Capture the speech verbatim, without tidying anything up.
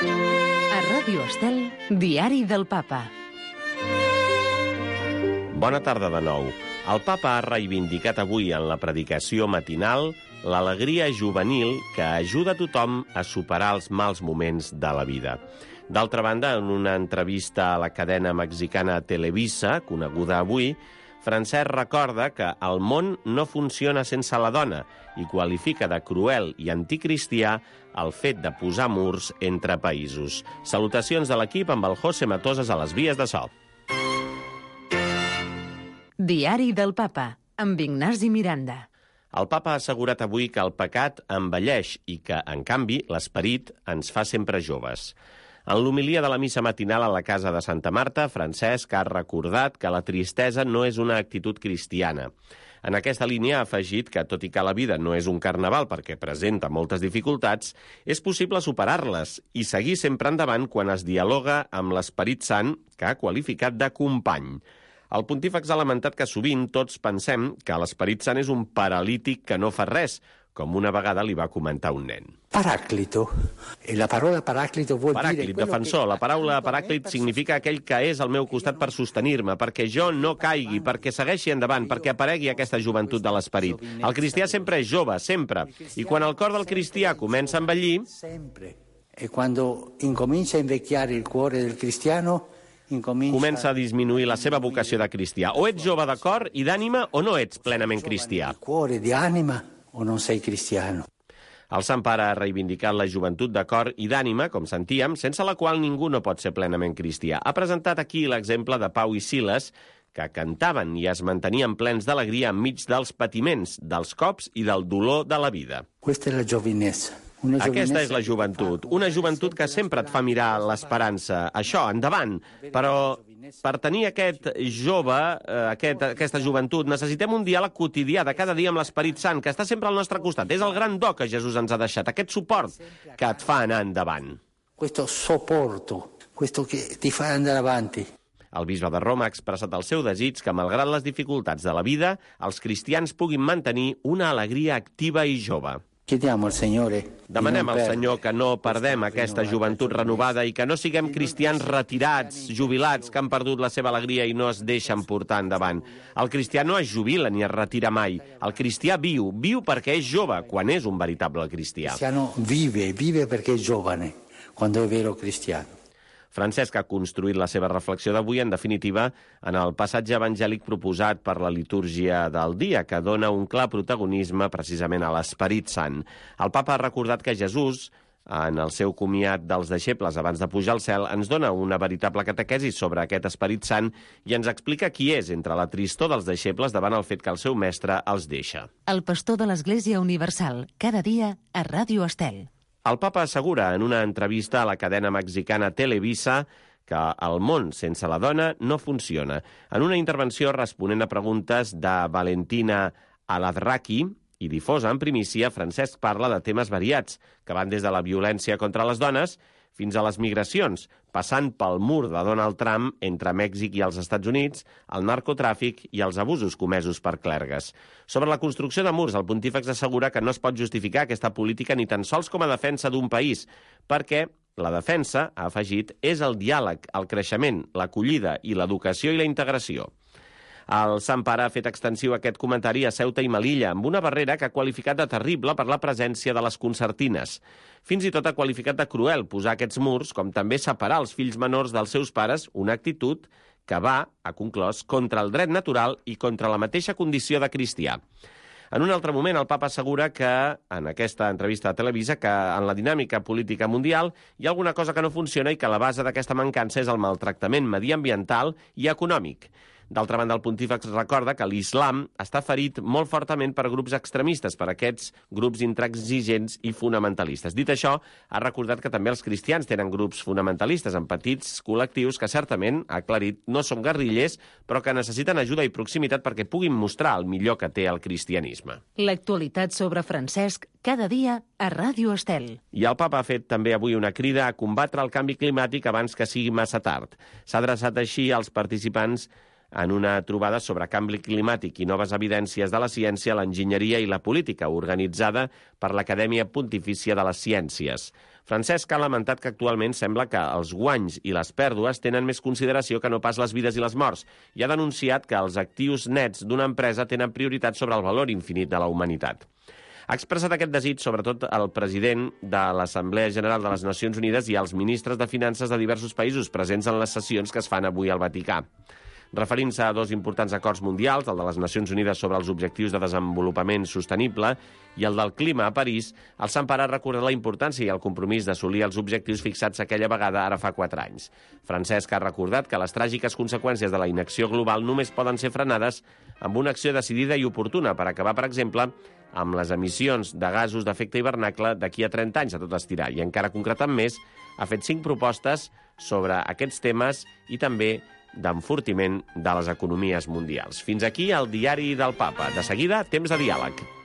A Ràdio Estel, Diari del Papa. Bona tarda de nou. El papa ha reivindicat avui en la predicació matinal l'alegria juvenil que ajuda a tothom a superar els mals moments de la vida. D'altra banda, en una entrevista a la cadena mexicana Televisa, coneguda avui, Francesc recorda que el món no funciona sense la dona i qualifica de cruel i anticristià el fet de posar murs entre països. Salutacions de l'equip amb el José Matosas a les vies de so. Diari del Papa, amb Ignasi Miranda. El papa ha assegurat avui que el pecat envelleix i que, en canvi, l'esperit ens fa sempre joves. En l'homilia de la missa matinal a la casa de Santa Marta, Francesc ha recordat que la tristesa no és una actitud cristiana. En aquesta línia ha afegit que, tot i que la vida no és un carnaval perquè presenta moltes dificultats, és possible superar-les i seguir sempre endavant quan es dialoga amb l'Esperit Sant, que ha qualificat de company. El pontífex ha lamentat que sovint tots pensem que l'Esperit Sant és un paralític que no fa res, com una vegada li va comentar un nen. Paràclito. La paraula paràclito vol Paràclit, dire... defensor. La paraula paràclit significa aquell que és al meu costat per sostenir-me, perquè jo no caigui, perquè segueixi endavant, perquè aparegui aquesta joventut de l'esperit. El cristià sempre és jove, sempre. I quan el cor del cristià comença a envellir... Sempre. E quando incomincia a invecchiare il cuore del cristiano... comença a disminuir la seva vocació de cristià. O ets jove de cor i d'ànima o no ets plenament cristià. Cuore di anima o non sei cristiano. El Sant Pare ha reivindicat la joventut de cor i d'ànima, com sentíem, sense la qual ningú no pot ser plenament cristià. Ha presentat aquí l'exemple de Pau i Silas, que cantaven i es mantenien plens d'alegria enmig dels patiments, dels cops i del dolor de la vida. Questa è la giovinezza. Aquesta és la joventut, una joventut que sempre et fa mirar l'esperança. Això, endavant. Però per tenir aquest jove, aquest, aquesta joventut, necessitem un diàleg quotidià de cada dia amb l'Esperit Sant, que està sempre al nostre costat. És el gran do que Jesús ens ha deixat, aquest suport que et fa anar endavant. Questo sopporto, questo che ti fa andare avanti. El bisbe de Roma ha expressat el seu desig que, malgrat les dificultats de la vida, els cristians puguin mantenir una alegria activa i jove. Chiediamo al Signore. Demanem al Senyor que no perdem aquesta joventut renovada i que no siguem cristians retirats, jubilats, que han perdut la seva alegria i no es deixen portar endavant. El cristià no es jubila ni es retira mai. El cristià viu, viu perquè és jove, quan és un veritable cristià. Il cristiano vive, vive perché è giovane, quando è vero cristiano. Francesc ha construït la seva reflexió d'avui, en definitiva, en el passatge evangèlic proposat per la litúrgia del dia, que dona un clar protagonisme precisament a l'Esperit Sant. El papa ha recordat que Jesús, en el seu comiat dels deixebles abans de pujar al cel, ens dona una veritable catequesi sobre aquest Esperit Sant i ens explica qui és entre la tristor dels deixebles davant el fet que el seu mestre els deixa. El pastor de l'Església Universal, cada dia a Ràdio Estel. El papa assegura en una entrevista a la cadena mexicana Televisa que el món sense la dona no funciona. En una intervenció responent a preguntes de Valentina Aladraki i difosa en primícia, Francesc parla de temes variats, que van des de la violència contra les dones fins a les migracions, passant pel mur de Donald Trump entre Mèxic i els Estats Units, el narcotràfic i els abusos comesos per clergues. Sobre la construcció de murs, el pontífex assegura que no es pot justificar aquesta política ni tan sols com a defensa d'un país, perquè la defensa, ha afegit, és el diàleg, el creixement, l'acollida i l'educació i la integració. El Sant Pare ha fet extensiu aquest comentari a Ceuta i Melilla, amb una barrera que ha qualificat de terrible per la presència de les concertines. Fins i tot ha qualificat de cruel posar aquests murs, com també separar els fills menors dels seus pares, una actitud que va, ha conclòs, contra el dret natural i contra la mateixa condició de cristià. En un altre moment, el papa assegura que, en aquesta entrevista a Televisa, que en la dinàmica política mundial hi ha alguna cosa que no funciona i que la base d'aquesta mancança és el maltractament mediambiental i econòmic. D'altra banda, el pontífex recorda que l'islam està ferit molt fortament per grups extremistes, per aquests grups intransigents i fonamentalistes. Dit això, ha recordat que també els cristians tenen grups fonamentalistes en petits col·lectius que certament, ha aclarit, no són guerrillers, però que necessiten ajuda i proximitat perquè puguin mostrar el millor que té el cristianisme. L'actualitat sobre Francesc, cada dia a Ràdio Estel. I el papa ha fet també avui una crida a combatre el canvi climàtic abans que sigui massa tard. S'ha adreçat així als participants en una trobada sobre canvi climàtic i noves evidències de la ciència, l'enginyeria i la política, organitzada per l'Acadèmia Pontifícia de les Ciències. Francesc ha lamentat que actualment sembla que els guanys i les pèrdues tenen més consideració que no pas les vides i les morts, i ha denunciat que els actius nets d'una empresa tenen prioritat sobre el valor infinit de la humanitat. Ha expressat aquest desig sobretot el president de l'Assemblea General de les Nacions Unides i els ministres de Finances de diversos països presents en les sessions que es fan avui al Vaticà. Referint-se a dos importants acords mundials, el de les Nacions Unides sobre els objectius de desenvolupament sostenible i el del clima a París, el Sant Pare ha recordat la importància i el compromís d'assolir els objectius fixats aquella vegada ara fa quatre anys. Francesc ha recordat que les tràgiques conseqüències de la inacció global només poden ser frenades amb una acció decidida i oportuna per acabar, per exemple, amb les emissions de gasos d'efecte hivernacle d'aquí a trenta anys a tot estirar. I encara concretant més, ha fet cinc propostes sobre aquests temes i també d'enfortiment de les economies mundials. Fins aquí el diari del Papa. De seguida, temps de diàleg.